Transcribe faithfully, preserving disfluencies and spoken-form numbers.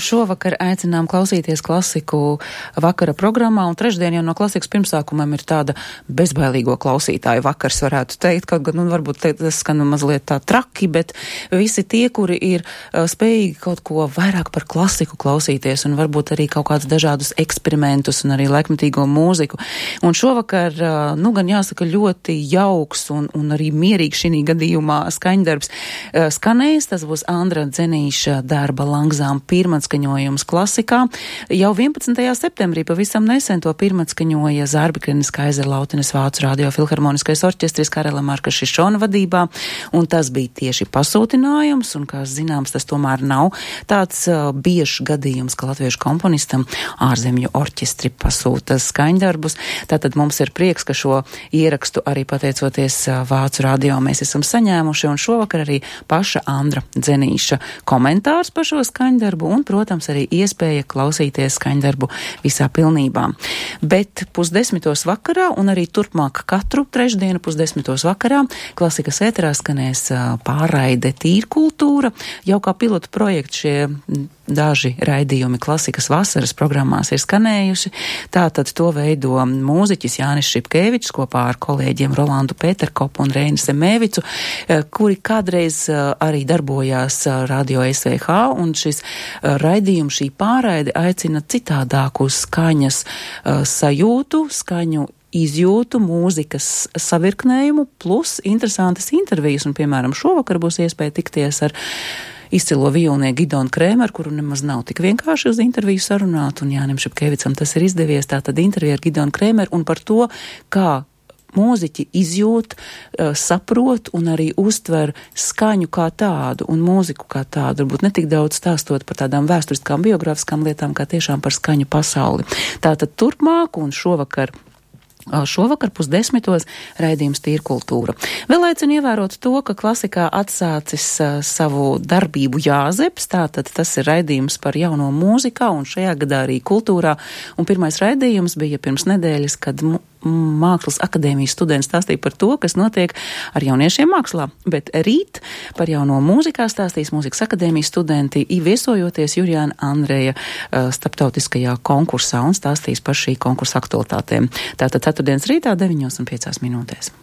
Šovakar aicinām klausīties klasiku vakara programmā, un trešdien jau no klasikas pirmsākumam ir tāda bezbailīgo klausītāju vakars, varētu teikt, kaut gan, nu, varbūt tas skan mazliet tā traki, bet visi tie, kuri ir uh, spējīgi kaut ko vairāk par klasiku klausīties, un varbūt arī kaut kādus dažādus eksperimentus, un arī laikmetīgo mūziku. Un šovakar, uh, nu, gan jāsaka, ļoti jauks un, un arī mierīgs šī gadījumā skaņdarbs uh, skanējis. Tas būs Andra Dzenīša darba Langzām pirmats skaņojums klasikā. Jau vienpadsmitajā septembrī pavisam nesen to pirmatskaņoja Zārbekrenes Kaizerlautenes Vācu radio filharmoniskais orķestris Karela Marka Šišona vadībā, un tas bija tieši pasūtinājums, un, kā zināms, tas tomēr nav tāds uh, biežs gadījums, ka latviešu komponistam ārzemju orķestri pasūta skaņdarbus. Tātad mums ir prieks, ka šo ierakstu arī pateicoties uh, Vācu radio mēs esam saņēmuši, un šovakar arī paša Andra Dzenīša komentārs par šo skaņdarbu, un, protams, arī iespēja klausīties skaņdarbu visā pilnībā. Bet pusdesmitos vakarā un arī turpmāk katru trešdienu pusdesmitos vakarā klasikas ēterā skanēs pārraide Tīrkultūra. Jau kā pilotu projekts šie daži raidījumi klasikas vasaras programmās ir skanējuši. Tātad to veido mūziķis Jānis Šipkevičs kopā ar kolēģiem Rolandu Pēterkopu un Reinu Semēvicu, kuri kādreiz arī darbojās Radio S V H, un šis raidījums, šī pārraide aicina citādāku skaņas sajūtu, skaņu izjūtu, mūzikas savirknējumu, plus interesantas intervijas, un, piemēram, šovakar būs iespēja tikties ar izcilo vijolnieku Gidonu Krēmeru, kuru nemaz nav tik vienkārši uz interviju sarunāt, un Jānim Šipkevicam tas ir izdevies. Tātad intervija ar Gidonu Krēmeru un par to, kā mūziķi izjūt, saprot un arī uztver skaņu kā tādu un mūziku kā tādu, varbūt ne tik daudz stāstot par tādām vēsturiskām, biogrāfiskām lietām, kā tiešām par skaņu pasauli. Tātad turpmāk un šovakar Šovakar pusdesmitos raidījums Tīrkultūra. Vēl aicinu ievērot to, ka klasikā atsācis uh, savu darbību Jāzeps, tātad tas ir raidījums par jauno mūzikā un šajā gadā arī kultūrā. Un pirmais raidījums bija pirms nedēļas, kad m- Mākslas akadēmijas studenti stāstīja par to, kas notiek ar jauniešiem mākslā. Bet rīt par jauno mūzikā stāstīs Mūzikas akadēmijas studenti, viesojoties Jurijāna Andreja uh, starptautiskajā konkursā, un stāstīs par šī konkursa aktualitātēm. Tātad ceturtdienas rītā deviņos un piecās minūtēs.